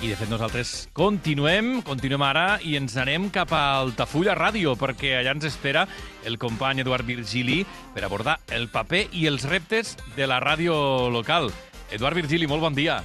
I, de fet, nosaltres continuem ara i ens anem cap a Altafulla Ràdio, perquè allà ens espera el company Eduard Virgili per abordar el paper i els reptes de la ràdio local. Eduard Virgili, molt bon dia.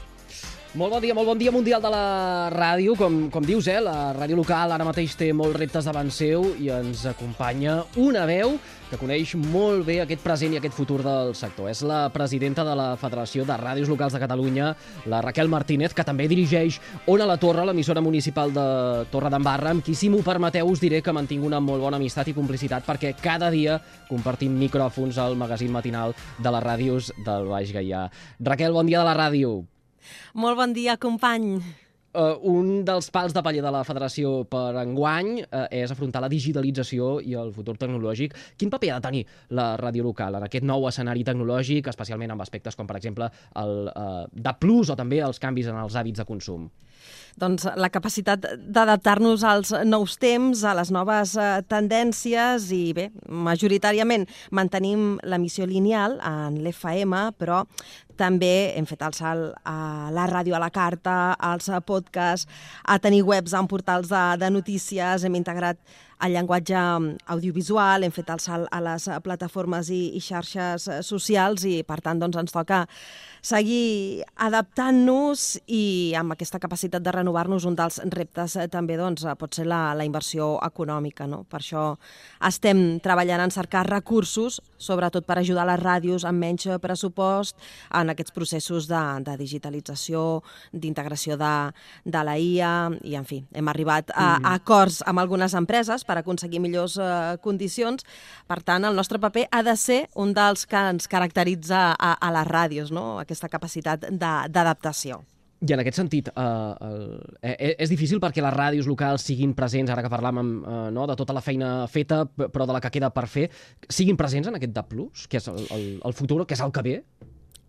Molt bon dia mundial de la ràdio. Com dius, la ràdio local ara mateix té molts reptes davant seu i ens acompanya una veu que coneix molt bé aquest present i aquest futur del sector. És la presidenta de la Federació de Ràdios Locals de Catalunya, la Raquel Martínez, que també dirigeix Ona la Torre, l'emissora municipal de Torredembarra, amb qui, si m'ho permeteu, us diré que mantinc una molt bona amistat i complicitat perquè cada dia compartim micròfons al magazín matinal de les ràdios del Baix Gaià. Raquel, bon dia de la ràdio. Molt bon dia, company. Un dels pals de paller de la Federació per enguany és afrontar la digitalització i el futur tecnològic. Quin paper ha de tenir la ràdio local en aquest nou escenari tecnològic, especialment amb aspectes com, per exemple, el DAB+, o també els canvis en els hàbits de consum? Doncs la capacitat d'adaptar-nos als nous temps, a les noves tendències i, bé, majoritàriament mantenim l'emissió lineal en l'FM, però també hem fet el salt a la ràdio a la carta, als podcasts, a tenir webs en portals de notícies, hem integrat el llenguatge audiovisual, hem fet el salt a les plataformes i xarxes socials i, per tant, doncs, ens toca seguir adaptant-nos i amb aquesta capacitat de renovar-nos. Un dels reptes també doncs, pot ser la inversió econòmica, no? Per això estem treballant en cercar recursos, sobretot per ajudar les ràdios amb menys pressupost en aquests processos de digitalització, d'integració de la IA i, en fi, hem arribat a acords amb algunes empreses per aconseguir millors condicions. Per tant, el nostre paper ha de ser un dels que ens caracteritza a les ràdios, no? Aquesta capacitat d'adaptació. I en aquest sentit, és difícil perquè les ràdios locals siguin presents, ara que parlàvem de tota la feina feta, però de la que queda per fer, siguin presents en aquest DAB+, que és el futur, que és el que ve?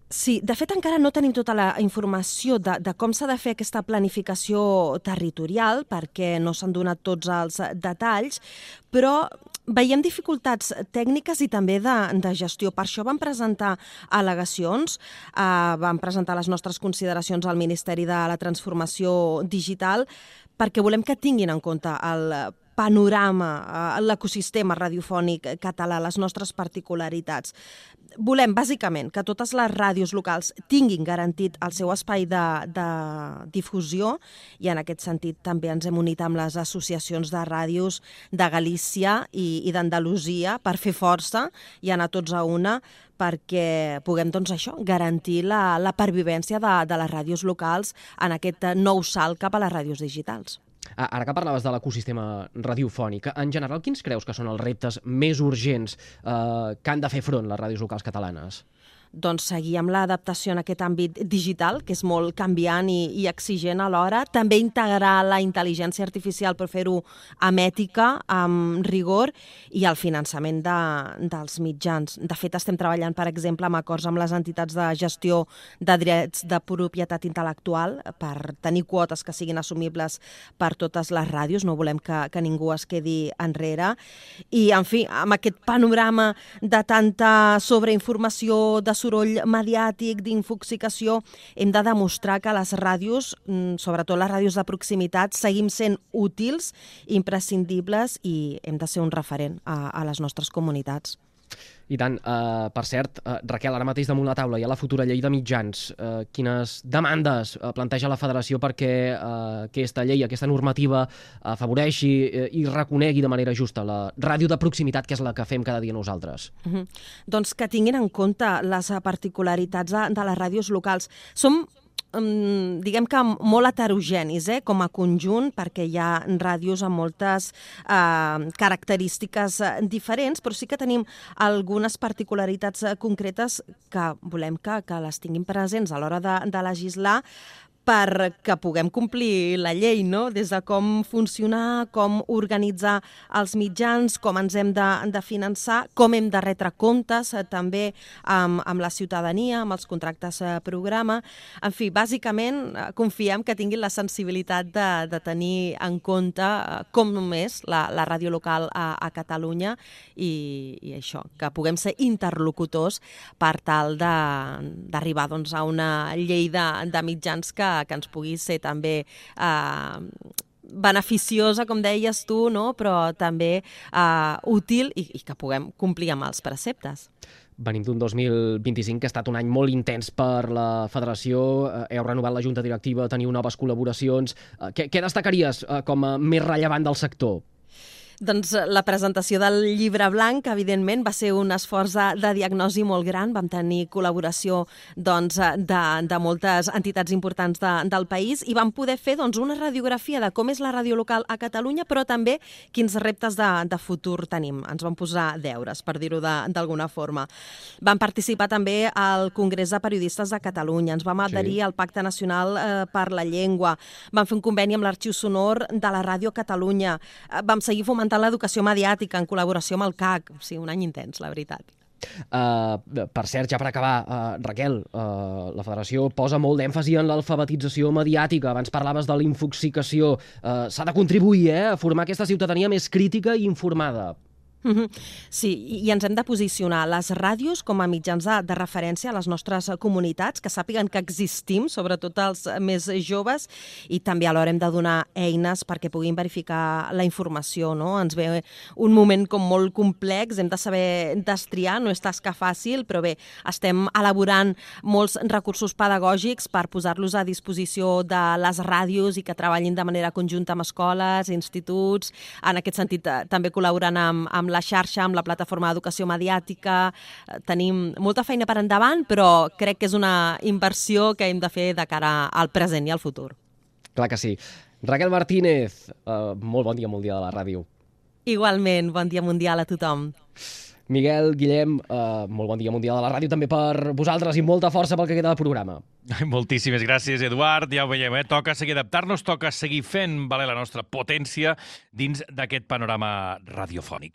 Sí, de fet encara no tenim tota la informació de com s'ha de fer aquesta planificació territorial perquè no s'han donat tots els detalls, però veiem dificultats tècniques i també de gestió. Per això vam presentar al·legacions, vam presentar les nostres consideracions al Ministeri de la Transformació Digital perquè volem que tinguin en compte el panorama, l'ecosistema radiofònic català, les nostres particularitats. Volem, bàsicament, que totes les ràdios locals tinguin garantit el seu espai de difusió i, en aquest sentit, també ens hem unit amb les associacions de ràdios de Galícia i d'Andalusia per fer força i anar tots a una perquè puguem, doncs, garantir la pervivència de les ràdios locals en aquest nou salt cap a les ràdios digitals. Ara que parlaves de l'ecosistema radiofònic, en general, quins creus que són els reptes més urgents que han de fer front les ràdios locals catalanes? Doncs seguir amb l'adaptació en aquest àmbit digital, que és molt canviant i exigent alhora. També integrar la intel·ligència artificial per fer-ho amb ètica, amb rigor i el finançament dels mitjans. De fet, estem treballant, per exemple, amb acords amb les entitats de gestió de drets de propietat intel·lectual per tenir quotes que siguin assumibles per totes les ràdios. No volem que ningú es quedi enrere. I, en fi, amb aquest panorama de tanta sobreinformació, de soroll mediàtic, d'infoxicació, hem de demostrar que les ràdios, sobretot les ràdios de proximitat, seguim sent útils, imprescindibles i hem de ser un referent a les nostres comunitats. I tant. Per cert, Raquel, ara mateix damunt la taula hi ha la futura llei de mitjans. Quines demandes planteja la Federació perquè aquesta llei, aquesta normativa, afavoreixi i reconegui de manera justa la ràdio de proximitat, que és la que fem cada dia nosaltres? Doncs que tinguin en compte les particularitats de les ràdios locals. Som diguem que molt heterogenis com a conjunt, perquè hi ha ràdios amb moltes característiques diferents, però sí que tenim algunes particularitats concretes que volem que les tinguin presents a l'hora de legislar perquè puguem complir la llei, no? Des de com funcionar, com organitzar els mitjans, com ens hem de finançar, com hem de retre comptes també amb la ciutadania, amb els contractes programa. En fi, bàsicament confiem que tinguin la sensibilitat de tenir en compte com només la ràdio local a Catalunya i això, que puguem ser interlocutors per tal d'arribar a una llei de mitjans que que ens pugui ser també beneficiosa, com deies tu, no? Però també útil i que puguem complir amb els preceptes. Venim d'un 2025 que ha estat un any molt intens per la federació. Heu renovat la junta directiva, teniu noves col·laboracions. Què destacaries com a més rellevant del sector? Doncs la presentació del llibre blanc, evidentment, va ser un esforç de diagnosi molt gran. Vam tenir col·laboració de moltes entitats importants del país i vam poder fer una radiografia de com és la ràdio local a Catalunya, però també quins reptes de futur tenim. Ens vam posar deures, per dir-ho d'alguna forma. Vam participar també al Congrés de Periodistes de Catalunya, ens vam adherir al Pacte Nacional per la Llengua, vam fer un conveni amb l'Arxiu Sonor de la Ràdio Catalunya, vam seguir fomentant l'educació mediàtica en col·laboració amb el CAC. O sigui, un any intens, la veritat. Per cert, ja per acabar, Raquel, la federació posa molt d'èmfasi en l'alfabetització mediàtica. Abans parlaves de la infoxicació. S'ha de contribuir a formar aquesta ciutadania més crítica i informada. Sí, i ens hem de posicionar les ràdios com a mitjans de referència a les nostres comunitats, que sàpiguen que existim, sobretot els més joves, i també alhora hem de donar eines perquè puguin verificar la informació, no? Ens ve un moment com molt complex, hem de saber destriar, no és tasca fàcil, però bé, estem elaborant molts recursos pedagògics per posar-los a disposició de les ràdios i que treballin de manera conjunta amb escoles, instituts, en aquest sentit també col·laborant amb la xarxa, amb la plataforma d'educació mediàtica. Tenim molta feina per endavant, però crec que és una inversió que hem de fer de cara al present i al futur. Clar que sí. Raquel Martínez, molt bon dia mundial a la ràdio. Igualment, bon dia mundial a tothom. Miguel, Guillem, molt bon dia mundial a la ràdio també per vosaltres i molta força pel que queda de programa. Moltíssimes gràcies, Eduard. Ja ho veiem, toca seguir adaptar-nos, toca seguir fent valer la nostra potència dins d'aquest panorama radiofònic.